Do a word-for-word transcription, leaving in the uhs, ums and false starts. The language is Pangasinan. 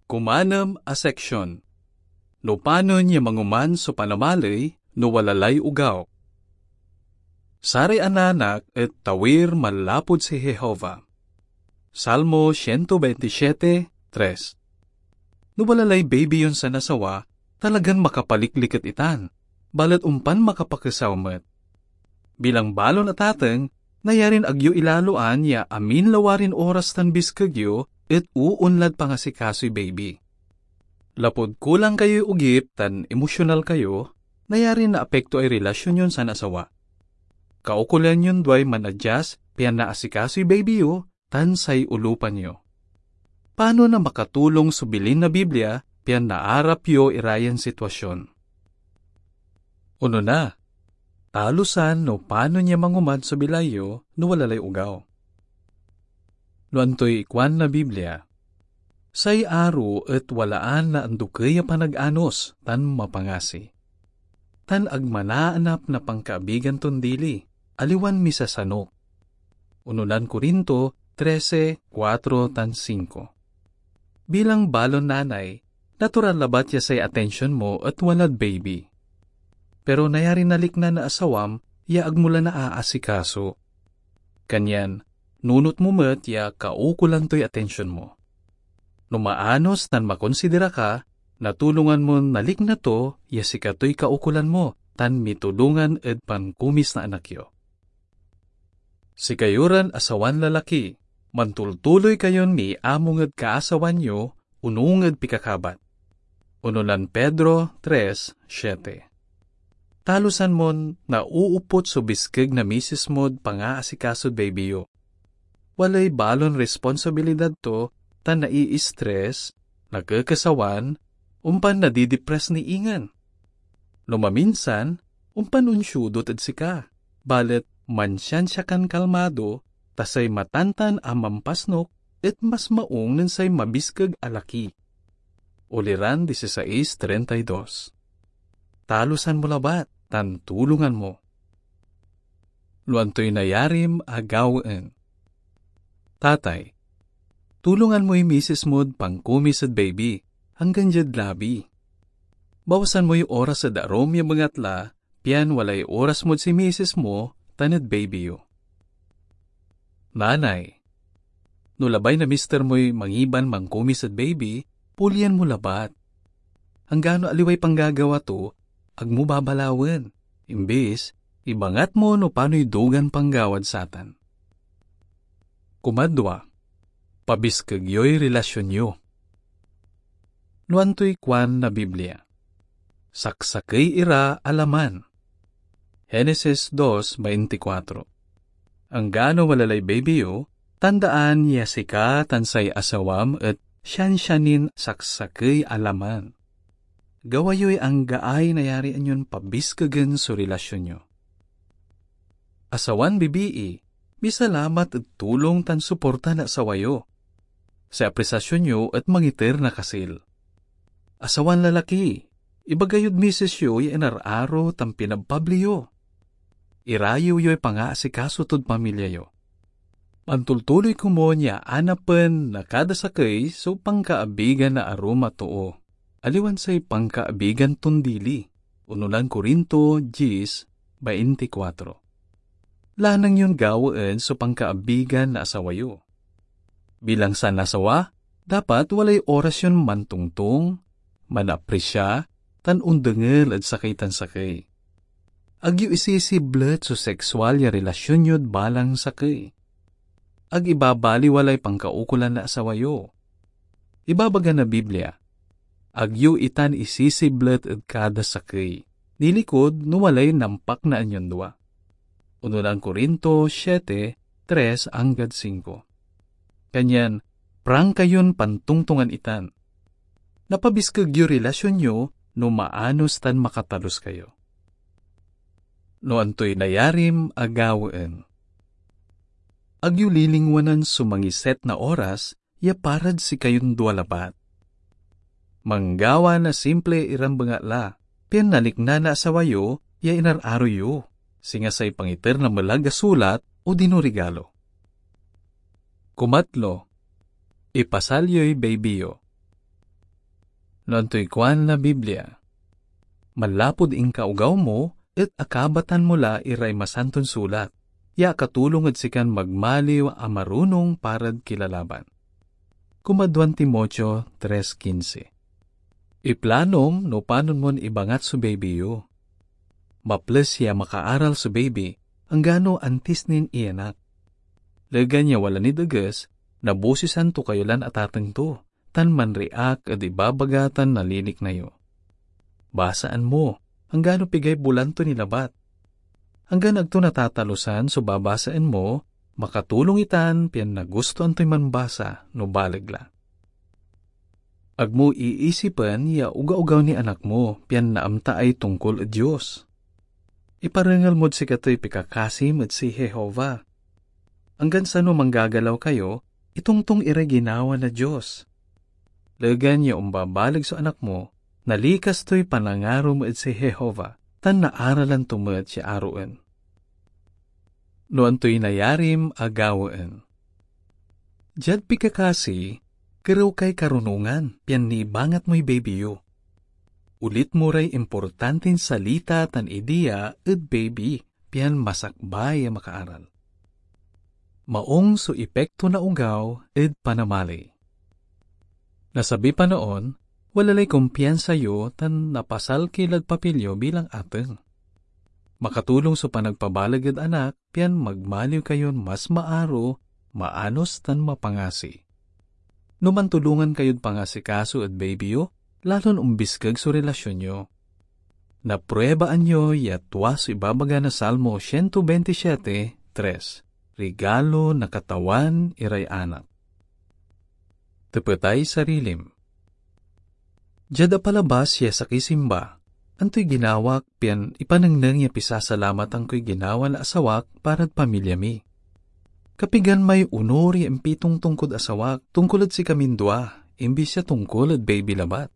Kumanem a seksyon. No panon ya mangoman so panamaley no wala lay ogaw. Saray ananak et tawir manlapud si Jehovah. Salmo siento bainti siete, tres. No wala lay baby yon sanasawa, talagan makapalikliket itan, balet ompan makapakesaw met. Bilang balon a tateng, nayarin agyo ilaloan ya amin lawarin oras tan biskeg yo et oonlad pangasikasoy baby. Lapud kulang kayoy ogip tan emosyonal kayo, nayarin naapektoay relasyon yon sanasawa. Kaukolan yon duay manadyas pian naasikasoy baby yo tan say olupan yo. Panon a makatulong so bilin na Biblia pian naarap yo irayan sitwasyon? Onona, talusan no panon ya mangoman so bilay yo no wala lay ogaw. No antoy ikuan na Biblia, say aro et walaan na andokey a panag-anos tan mapangasi, tan ag manaanap na pankaabigan ton dili, aliwan misasanok. Unonan Corinto trese, kuatro tan singko. Bilang balon nanay, natural labat ya say atensyon mo et walad baby. Pero nayarin nalikna na asawam ya ag mo la naaasikaso. Kanyan, nunot mo met ya kaukolan toy atensyon mo. No maanos tan makonsidera ka, natulongan mon nalikna to ya sikatoy kaukolan mo tan mitulongan ed pankumis na anak yo. Sikayo ran asawan lalaki, mantultuloy kayon miamung ed kaasawan yo onung ed pikakabat. Unonan Pedro tres siete. Talusan mon nauupot so biskeg na misis mod pangaasikasod baby yo. Walay balon responsibilidad to tan naiistres, nakekesawan, ompan nadidipres ni ingen. No maminsan, ompan onsiudot ed sika, balet mansiansia kan kalmado, ta say matantan a mampasnok et mas maung nen say mabiskeg a laki. Uliran dieciséis treinta y dos. Talusan mo labat tan tulongan mo. No antoy nayarim a gawaen. Tatay, tulongan moy misis mod pankumis ed baby, anggan diad labi. Bawasan moy oras ed arum ya bengatla, pian walay oras mod si misis mo tan ed baby yo. Nanay, no labay na mister moy mangiban mankumis ed baby, pulian mo labat. Anggano aliway panggagawa to, ag mo babalawen. Imbis, ibangat mo no panoy dugan panggawad satan. Kumadwa, pabiskeg yoy relasyon yo. No antoy kuan na Biblia, saksakey ira a laman. Genesis dos veinticuatro. Anggano wala lay baby yo, tandaan ya sika tan say asawam et siansia nin saksakey a laman. Gawa yoy anggaay nayarian yon pabiskegen so relasyon yo. Asawan bibii, misalamat ed tulong tan suporta na asawa yo. Say apresiasyon yo et mangiter na kasil. Asawan lalaki, ibaga yod misis yo ya inararo tan pinabpabli yo. Irayew yoy pangaasikaso tod pamilya yo. Mantultuloy komon ya anapen na kada sakey so pankaabigan na arum a too, aliwan say pankaabigan ton dili. Unonan Corinto diez, veinticuatro. Lanang yon gawaen so pankaabigan na asawa yo. Bilang sanasawa, dapat walay oras yon mantongtong, manapresia, tan ondengel ed sakey tan sakey. Ag yo isisiblet so seksual ya relasyon yod balang sakey. Ag ibabaliwalay pankaukolan na asawa yo. Ibabaga na Biblia, "Ag yo itan isisiblet ed kada sakey, nilikud no walay nampaknaan yon dua." Unonan Corinto siete, tres anggad singko. Kanyan, prangka yon pantongtongan itan. Napabiskeg yoy relasyon yo no maanos tan makatalus kayo. No antoy nayarim a gawaen. Ag yo lilingwanan so mangiset na oras ya parad sikayon dua labat. Manggawa na simple iran bengatla, pian nalikna na asawa yo ya inararo yo, singa say pangiter na melag a sulat odino regalo. Kumatlo, ipasal yoy baby yo. No antoy kuan na Biblia? Manlapud inkaogaw mo et akabatan mo la iray Masanton Sulat ya akatulong ed sikan magmaliw a marunong parad kilalaban. Kumaduan Timoteo tres quince. Iplanom no panon mon ibangat so baby yo. Maples ya makaaral so baby, anggano antis nin iyanak. Legan ya wala nid eges, nabosisan to kayo lan atateng to, tan manriak ed ibabaga tan nalilikna yo. Basaan mo, anggano pigay bulan to ni labat. Anggan ag to natatalusan so babasaen mo, makatulong itan pian nagustoan toy manbasa no baleg la. Ag mo iisipen ya ogaogaw ni anak mo pian naamtaay tongkol ed Dios. Iparengel mod sikatoy pikakasim ed si Jehovah. Anggan sano manggagalaw kayo, itongtong iray ginawa na Dios. Legan ya ombabaleg so anak mo, nalikas toy panangarom ed si Jehovah, tan naaralan to met ya aroen. No antoy nayarim a gawaen. Diad pikakasi, kerew kay karunongan pian nibangat moy baby yo. Ulit mo ray importantin salita tan idea ed baby pian masakbay a makaaral. Maong so epekto na ogaw ed panamali. Na sabiy panaon, wala lay kumpiansa yo tan napasal ki lad papel yo bilang ateng. Makatulong so panagpabaleg ed anak pian magmaliw kayon mas maaro, maanos, tan mapangasi. No mantulongan kayod pangasikaso ed baby yo, lalon ombiskeg so relasyon yo. Napruebaan yo ya tua so ibabaga na Salmo siento bentisiete, tres, "Rigalo na Katawan iray anak." Tepetay sarilim. Diad apalabas ya sakey simba, antoy ginawak pian ipanengneng ya pisasalamatan koy ginawa na asawak parad pamilya mi? Kapigan may onor ya impitongtong kod asawak tongkol ed sikamin dua, imbis ya tongkol ed baby labat?